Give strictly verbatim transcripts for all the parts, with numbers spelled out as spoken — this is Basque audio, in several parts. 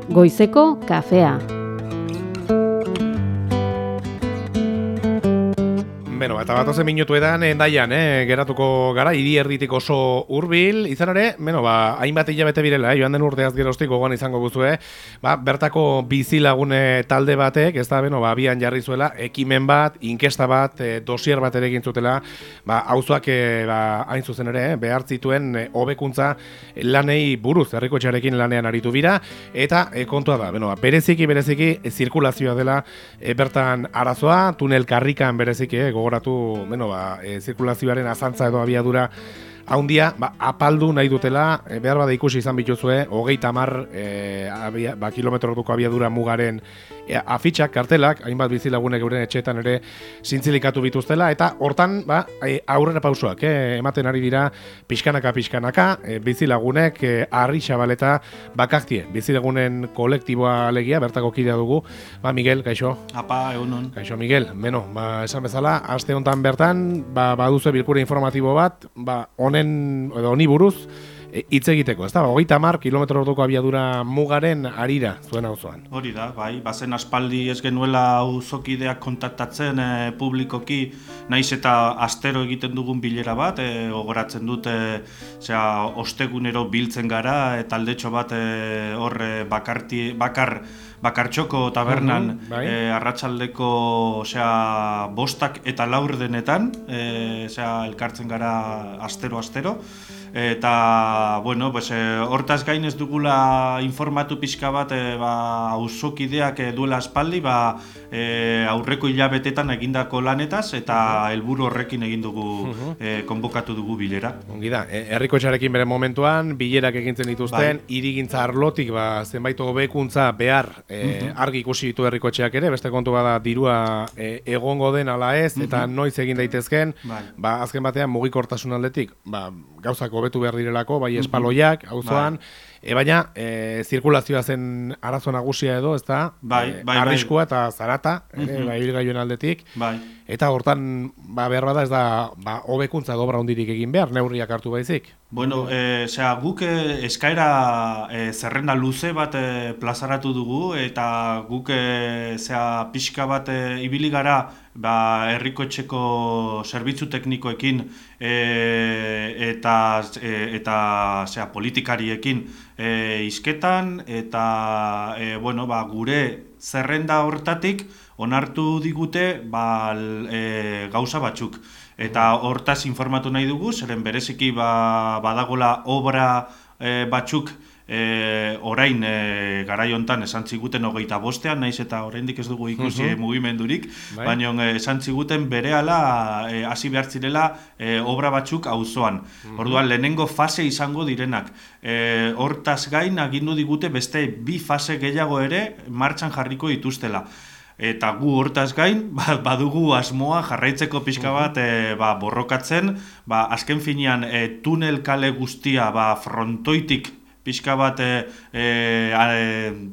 Goizeko kafea. Beno, eta bat ozen minutu edan, endaian, eh, geratuko gara, hiri erditik oso hurbil, izan ere, beno, ba, hainbat hilabete birela, eh, joan den urteaz geroztik gogoan izango guzue, ba, bertako bizilagune talde batek, ez da, beno, ba, abian jarri zuela, ekimen bat, inkesta bat, e, dosier bat ere egin zutela, ba, auzoak, e, ba, hain zuzen ere, eh, behar zituen e, hobekuntza lanei buruz, herrikotxearekin lanean aritu bira, eta e, kontua da, beno, ba, bereziki, bereziki, e, zirkulazioa dela, e, bertan arazoa, tunel karrikan bereziki, eh, gogoratu, bueno, ba, e, zirkulazioaren azantza edo abiadura haundia, ba, apaldu nahi dutela, e, behar bada ikusi izan bituzue, hogeita hamar e, abia, ba, kilometro orduko abiadura mugaren e, afitxak, kartelak, hainbat bizilagunek euren etxeetan ere zintzilikatu bituztela, eta hortan ba, e, aurrera pausoak, e, ematen ari dira pixkanaka-pixkanaka, e, bizilagunek, e, arri xabaleta bakaktie, bizilagunen kolektiboa alegia, bertako kidea dugu, ba, Miguel, kaixo? Apa, egunon. Kaixo, Miguel, beno, ba, esan bezala, aste hontan bertan, ba, baduzu bilkura informatibo bat, ba, honen, edo honi buruz, hitz egiteko, ez da, hogeita hamar kilometro orduko abiadura mugaren arira zuen auzoan. Hori da, bai, bazen aspaldi ez genuela auzokideak kontaktatzen e, publikoki, naiz eta astero egiten dugun bilera bat, e, gogoratzen dut, e, zera, ostegunero biltzen gara, e, taldetxo bat e, hor e, bakarti, bakar, bakartxoko tabernan, uh-huh, bai. e, arratsaldeko osea, bostak eta laur denetan, e, osea, elkartzen gara astero-astero, eta, bueno, pues, e, hortaz gain ez dugula informatu pixka bat e, ba, auzokideak e, duela aspaldi, ba, e, aurreko hilabetetan egindako lanetaz, eta helburu horrekin egin dugu, uh-huh. e, konbokatu dugu bilera. Ongi da, e, herrikotxearekin bere momentuan, bilerak egintzen dituzten, bai. Hirigintza arlotik, ba, zenbait hobekuntza behar, e, uh-huh. argi ikusi ditu herrikotxeak ere, beste kontu bada dirua e, egongo den ala ez, uh-huh. eta noiz egin daitezken, bai. Ba, azken batean mugikortasun aldetik, ba, gauzak hobetu behar direlako, bai espaloiak, auzoan, bai. E, baina e, zirkulazioa zen arazo nagusia edo, ez da, bai, e, bai, arriskua eta zarata, ere, uh-huh. bai, ibilgailuen aldetik, bai. Eta hortan, ba, behar bada ez da, ba, hobekuntza dobra hondirik egin behar, neurriak hartu baizik. Bueno, e, zera, guk e, eskaera e, zerrenda luze bat e, plazaratu dugu, eta guk e, zera, pixka bat e, ibili gara, ba, herrikotxeko zerbitzu teknikoekin e, eta, e, eta zera, politikariekin e, izketan, eta e, bueno, ba, gure zerrenda hortatik onartu digute ba, e, gauza batzuk. Eta hortaz informatu nahi dugu, zeren bereziki ba, badagola obra e, batzuk e, orain e, garai hontan esan ziguten hogeita bostean, naiz eta oraindik ez dugu ikusi uh-huh. mugimendurik, bai. Baina e, esan ziguten berehala e, hasi behar zirela e, obra batzuk auzoan. Uh-huh. Orduan lehenengo fase izango direnak. E, hortaz gain agindu digute beste bi fase gehiago ere martxan jarriko dituztela. Eta gu hortaz gain, badugu asmoa jarraitzeko pixka bat e, ba, borrokatzen, ba, azken finean e, tunel kale guztia ba, frontoitik pixka bat e, e,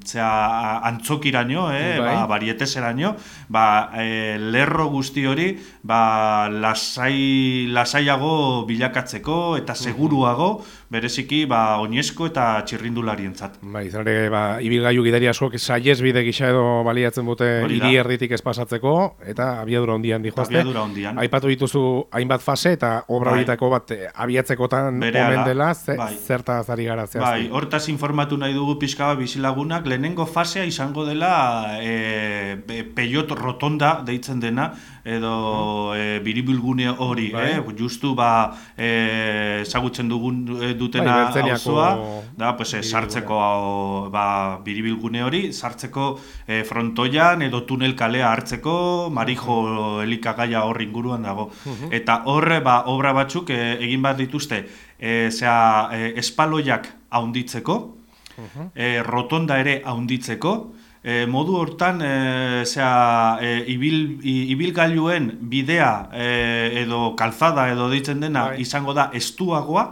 zera, antzokiraino, e, ba, barieteseraino, ba, e, lerro guzti hori ba, lasai, lasaiago bilakatzeko eta seguruago, bereziki ba, oinezko eta txirrindularientzat. Bai, izan ere, ba, ibilgailu gidari askok saihesbide gisa edo baliatzen dute hiri erditik ez pasatzeko, eta abiadura hondian dijoazte. Abiadura hondian. Aipatu dituzu hainbat fase eta obra horietako bai. Bat abiatzekotan omen dela, ze, bai. Zertaz ari gara zehazti. Bai, hortaz informatu nahi dugu pixka bat bizilagunak, lehenengo fasea izango dela e, peiot rotonda deitzen dena, edo e, biribilgune hori, bai. eh? Justu ba, e, ezagutzen dugun e, dutena bai, auzoa, da, pues, e, sartzeko ba, biribilgune hori, sartzeko e, frontoian edo tunel kalea hartzeko, marijo elikagaia hor inguruan dago. Uh-huh. Eta horre ba, obra batzuk e, egin bat dituzte, e, zera, e, espaloiak haunditzeko, uh-huh. e, rotonda ere haunditzeko, E, modu hortan, e, zera, e, ibil, ibilgailuen bidea e, edo kalzada edo deitzen dena bai. Izango da estuagoa,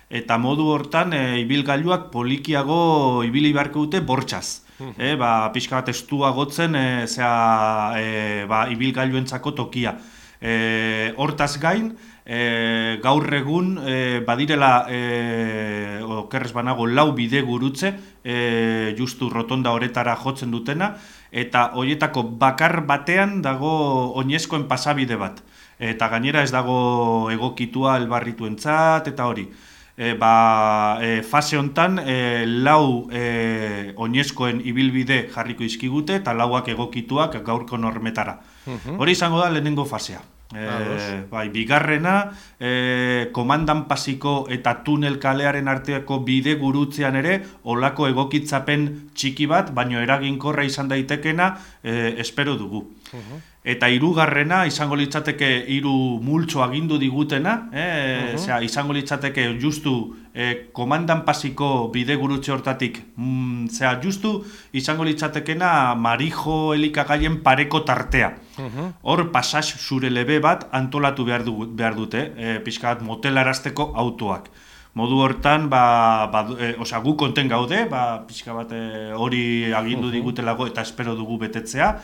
eta modu hortan e, ibilgailuak polikiago ibili beharko dute bortxaz. E, ba, pixka bat estuagotzen e, zera, e, ba, ibilgailuentzako tokia. E, hortaz gain, e, gaur egun e, badirela e, okerrez banago lau bide gurutze e, justu rotonda horetara jotzen dutena, eta horietako bakar batean dago oinezkoen pasabide bat. Eta gainera ez dago egokitua elbarrituentzat eta hori. E, ba, e, fase hontan e, lau e, oinezkoen ibilbide jarriko izkigute eta lauak egokituak gaurko normetara. Uh-huh. Hori izango da lehenengo fasea. E, bai, bigarrena, e, komandan pasiko eta tunel kalearen arteako bide gurutzean ere olako egokitzapen txiki bat, baino eraginkorra izan daitekena e, espero dugu. Uh-huh. Eta hirugarrena izango litzateke hiru multzo agindu digutena, eh, uh-huh. izango litzateke justu eh, komandan pasiko bide gurutze hortatik, mm, zera, justu izango litzatekena marijo elikagaien pareko tartea. Uh-huh. Hor pasaz zure lebe bat antolatu behar, du, behar dute, eh, pixka bat motelarazteko autoak. Modu hortan, ba, ba, e, osea, gu konten gaude, ba, pixka bat hori e, agindu uh-huh. digutelago eta espero dugu betetzea.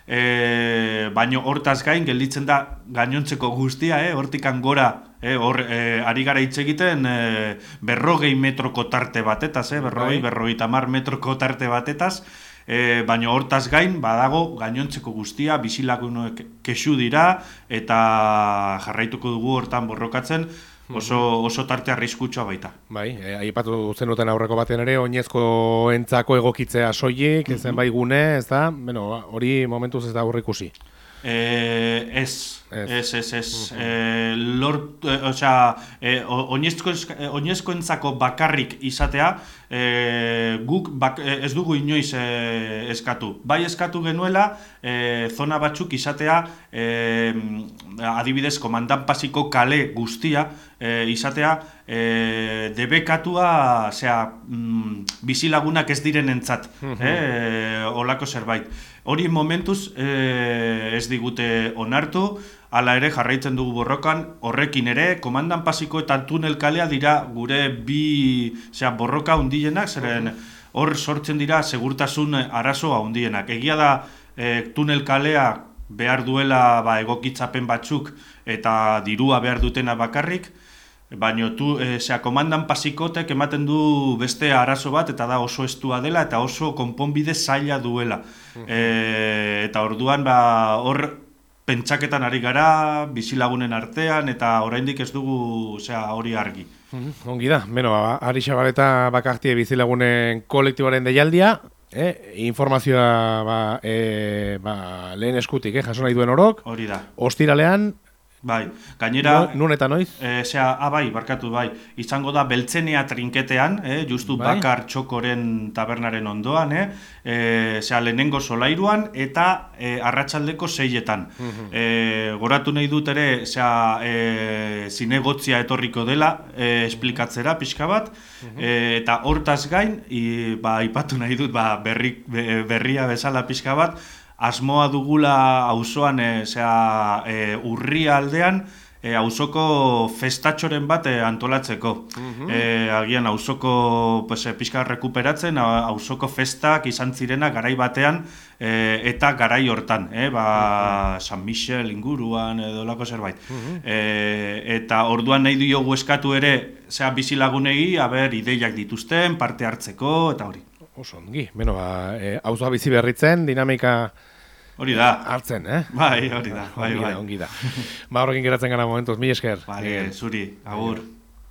E, baino hortaz gain gelditzen da gainontzeko guztia, eh? Hortikan gora eh? Hor, e, ari gara hitz egiten e, berrogei metroko tarte batetaz, eh? berrogei, berrogei tamar metroko tarte batetaz, e, baino hortaz gain badago gainontzeko guztia, bizilagunek kexu dira eta jarraituko dugu hortan borrokatzen. Oso, oso tarte arriskutsua baita. Bai, e, aipatu zenuten aurreko batean ere, oinezkoentzako egokitzea soilik, mm-hmm. zenbait gune, ez da? Bueno, hori momentuz ez da aurrikusi. Eh, ez, ez, ez, ez. Uh-huh. Eh, lort, eh, osea, eh, oinezkoentzako bakarrik izatea, eh, guk bak, ez dugu inoiz eh, eskatu. Bai eskatu genuela, eh, zona batzuk izatea, eh, adibidez, komandan pasiko kale guztia, eh, izatea, eh, debekatua, osea, mm, bizilagunak ez direnentzat, uh-huh. eh, olako zerbait. Hori momentuz e, ez digute onartu, hala ere jarraitzen dugu borrokan, horrekin ere, komandan pasiko eta tunel kalea dira gure bi zera, borroka hundienak, zeren hor sortzen dira segurtasun arazoa hundienak. Egia da e, tunel kalea behar duela ba, egokitzapen batzuk eta dirua behar dutena bakarrik, baina tu, e, zera, komandan pasikotek ematen du beste arazo bat eta da oso estua dela eta oso konponbide zaila duela. Uh-huh. E, eta orduan ba, hor pentsaketan ari gara, bizilagunen artean eta oraindik ez dugu zera, hori argi. Uh-huh. Ongi da, beno, Ari Xabaleta bakartie bizilagunen kolektiboaren deialdia, eh? informazioa ba, e, ba, lehen eskutik, eh? jaso nahi duen orok. Hori da. Ostiralean, bai, gainera... Nun eta noiz? E, zera, ah, bai, barkatu, bai. Izango da Beltzenea trinketean, eh, justu bai? Bakar Txokoren tabernaren ondoan, eh, e, zera, lehenengo solairuan eta e, arratsaldeko seietan. Uh-huh. E, goratu nahi dut ere, zera, e, zinegotzia etorriko dela, e, esplikatzera pixka bat, uh-huh. e, eta hortaz gain, i, ba, ipatu nahi dut, ba, berri, berria bezala pixka bat, asmoa dugula auzoan e, e, urria aldean e, auzoko festatxoren bat e, antolatzeko. Uh-huh. e, agian auzoko pues, pixka rekuperatzen, auzoko festak izan zirena garai batean e, eta garai hortan, e, ba, uh-huh. San Michel inguruan edo lako zerbait. Uh-huh. e, eta orduan nahi diogu eskatu ere zea bizilagunegi, aber ideiak dituzten, parte hartzeko eta hori. Oso ongi, beno, ba, e, auzoa bizi berritzen, dinamika hori da. Hartzen, eh? Bai, hori da. Bai, ongi da, bai. ongi da. Ba, horrekin geratzen gara momentuz, mi esker. Vale, zuri, agur.